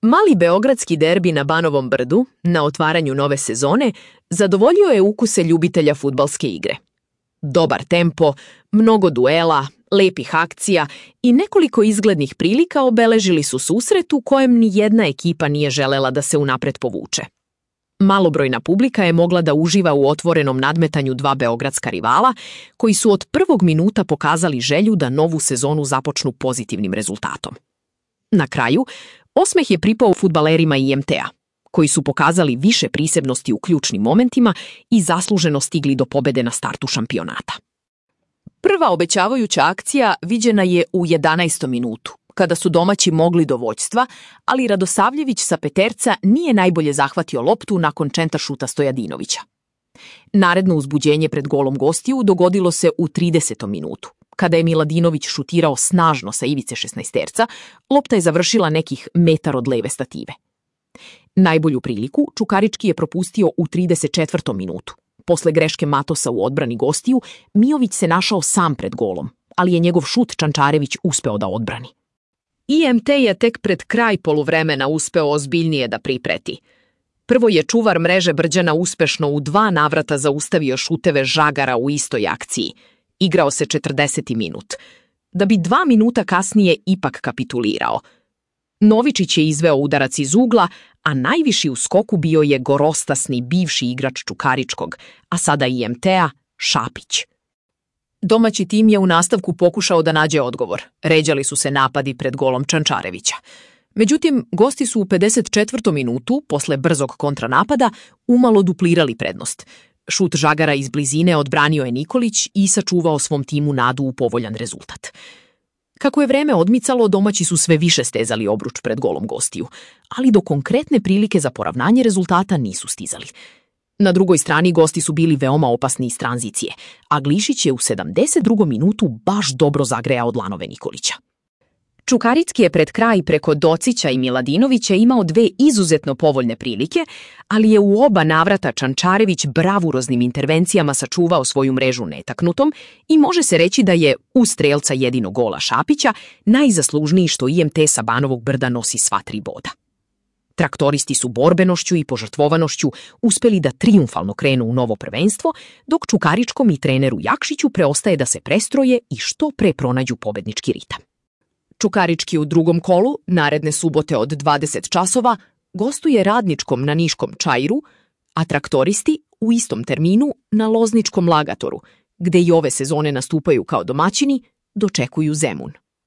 Mali beogradski derbi na Banovom Brdu, na otvaranju nove sezone, zadovoljio je ukuse ljubitelja fudbalske igre. Dobar tempo, mnogo duela, lepih akcija i nekoliko izglednih prilika obeležili su susret u kojem ni jedna ekipa nije želela da se unapred povuče. Malobrojna publika je mogla da uživa u otvorenom nadmetanju dva beogradska rivala, koji su od prvog minuta pokazali želju da novu sezonu započnu pozitivnim rezultatom. Na kraju, osmeh je pripao fudbalerima IMT-a, koji su pokazali više prisebnosti u ključnim momentima i zasluženo stigli do pobede na startu šampionata. Prva obećavajuća akcija viđena je u 11. minutu, kada su domaći mogli do vođstva, ali Radosavljević sa peterca nije najbolje zahvatio loptu nakon čentaršuta Stojadinovića. Naredno uzbuđenje pred golom gostiju dogodilo se u 30. minutu. Kada je Miladinović šutirao snažno sa ivice 16-terca, lopta je završila nekih metar od leve stative. Najbolju priliku Čukarički je propustio u 34. minutu. Posle greške Matosa u odbrani gostiju, Mijović se našao sam pred golom, ali je njegov šut Čančarević uspeo da odbrani. IMT je tek pred kraj poluvremena uspeo ozbiljnije da pripreti. Prvo je čuvar mreže Brđana uspešno u 2 navrata zaustavio šuteve Žagara u istoj akciji. Igrao se 40. minut, da bi 2 minuta kasnije ipak kapitulirao. Novičić je izveo udarac iz ugla, a najviši u skoku bio je gorostasni bivši igrač Čukaričkog, a sada IMT-a, Šapić. Domaći tim je u nastavku pokušao da nađe odgovor. Ređali su se napadi pred golom Čančarevića. Međutim, gosti su u 54. minutu, posle brzog kontranapada, umalo duplirali prednost. Šut Žagara iz blizine odbranio je Nikolić i sačuvao svom timu nadu u povoljan rezultat. Kako je vreme odmicalo, domaći su sve više stezali obruč pred golom gostiju, ali do konkretne prilike za poravnanje rezultata nisu stizali. Na drugoj strani gosti su bili veoma opasni iz tranzicije, a Glišić je u 72. minutu baš dobro zagrejao dlanove Nikolića. Čukarički je pred kraj preko Docića i Miladinovića imao 2 izuzetno povoljne prilike, ali je u oba navrata Čančarević bravuroznim intervencijama sačuvao svoju mrežu netaknutom i može se reći da je, uz strelca jedinog gola Šapića, najzaslužniji što IMT sa Banovog Brda nosi sva 3 boda. Traktoristi su borbenošću i požrtvovanošću uspeli da trijumfalno krenu u novo prvenstvo, dok Čukaričkom i treneru Jakšiću preostaje da se prestroje i što pre pronađu pobednički ritam. Čukarički u drugom kolu, naredne subote od 20 časova, gostuje Radničkom na niškom Čairu, a traktoristi u istom terminu na lozničkom Lagatoru, gde i ove sezone nastupaju kao domaćini, dočekuju Zemun.